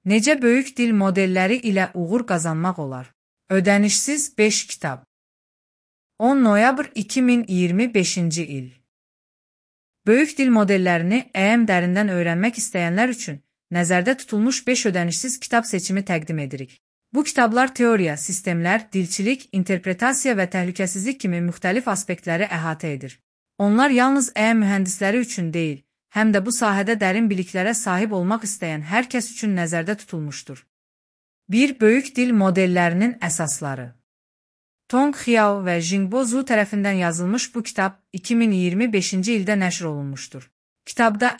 Necə böyük dil modelləri ilə uğur qazanmaq olar? Ödənişsiz 5 kitab. 10 noyabr 2025-ci il. Böyük dil modellərini dərindən öyrənmək istəyənlər üçün nəzərdə tutulmuş 5 ödənişsiz kitab seçimi təqdim edirik. Bu kitablar teoriya, sistemlər, dilçilik, interpretasiya və təhlükəsizlik kimi müxtəlif aspektləri əhatə edir. Onlar yalnız mühəndisləri üçün deyil, həm də bu sahədə dərin biliklərə sahib olmaq istəyən hər kəs üçün nəzərdə tutulmuşdur. 1. Böyük dil modellərinin əsasları. Tong Xiao və Jingbo Zhu tərəfindən yazılmış bu kitab 2025-ci ildə nəşr olunmuşdur. Kitabda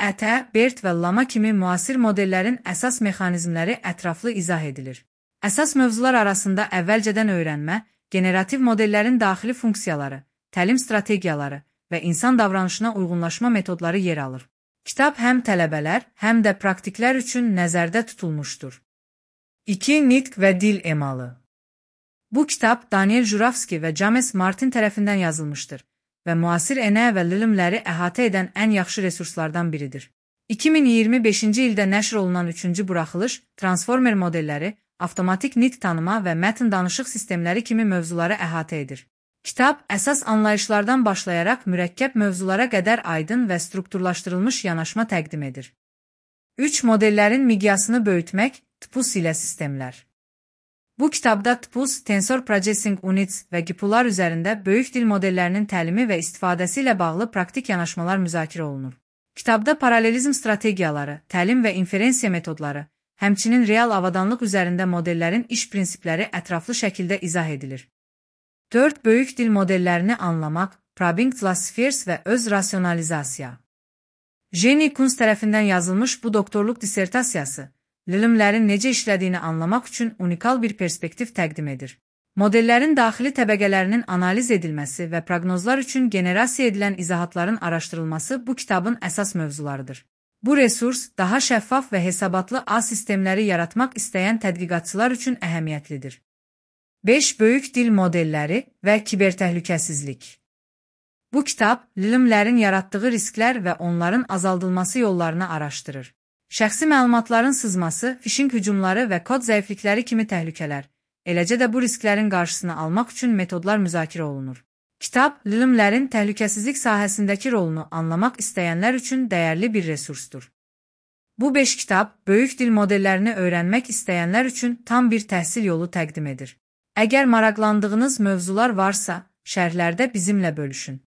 BERT və Llama kimi müasir modellərin əsas mexanizmləri ətraflı izah edilir. Əsas mövzular arasında əvvəlcədən öyrənmə, generativ modellərin daxili funksiyaları, təlim strategiyaları və insan davranışına uyğunlaşma metodları yer alır. Kitab həm tələbələr, həm də praktiklər üçün nəzərdə tutulmuşdur. 2. Nitq və dil emalı. Bu kitab Daniel Jurafski və James Martin tərəfindən yazılmışdır və müasir və lilimləri əhatə edən ən yaxşı resurslardan biridir. 2025-ci ildə nəşr olunan 3-cü buraxılış, transformer modelləri, avtomatik nitq tanıma və mətn danışıq sistemləri kimi mövzuları əhatə edir. Kitab əsas anlayışlardan başlayaraq mürəkkəb mövzulara qədər aydın və strukturlaşdırılmış yanaşma təqdim edir. 3. Modellərin miqyasını böyütmək, TPUS ilə sistemlər. Bu kitabda TPUS, Tensor Processing Units və GPU'lar üzərində böyük dil modellərinin təlimi və istifadəsi ilə bağlı praktik yanaşmalar müzakirə olunur. Kitabda paralelizm strategiyaları, təlim və inferensiya metodları, həmçinin real avadanlıq üzərində modellərin iş prinsipləri ətraflı şəkildə izah edilir. 4. Böyük dil modellərini anlamaq, Probing Classifiers və öz rasionalizasiya. Jenny Kunz tərəfindən yazılmış bu doktorluq dissertasiyası, lilimlərin necə işlədiyini anlamaq üçün unikal bir perspektiv təqdim edir. Modellərin daxili təbəqələrinin analiz edilməsi və proqnozlar üçün generasiya edilən izahatların araşdırılması bu kitabın əsas mövzularıdır. Bu resurs daha şəffaf və hesabatlı A sistemləri yaratmaq istəyən tədqiqatçılar üçün əhəmiyyətlidir. 5. Böyük dil modelləri və kibertəhlükəsizlik. Bu kitab, lilimlərin yaratdığı risklər və onların azaldılması yollarını araşdırır. Şəxsi məlumatların sızması, phishing hücumları və kod zəiflikləri kimi təhlükələr, eləcə də bu risklərin qarşısını almaq üçün metodlar müzakirə olunur. Kitab, lilimlərin təhlükəsizlik sahəsindəki rolunu anlamaq istəyənlər üçün dəyərli bir resursdur. Bu 5 kitab, böyük dil modellərini öyrənmək istəyənlər üçün tam bir təhsil yolu təqdim edir. Əgər maraqlandığınız mövzular varsa, şərhlərdə bizimlə bölüşün.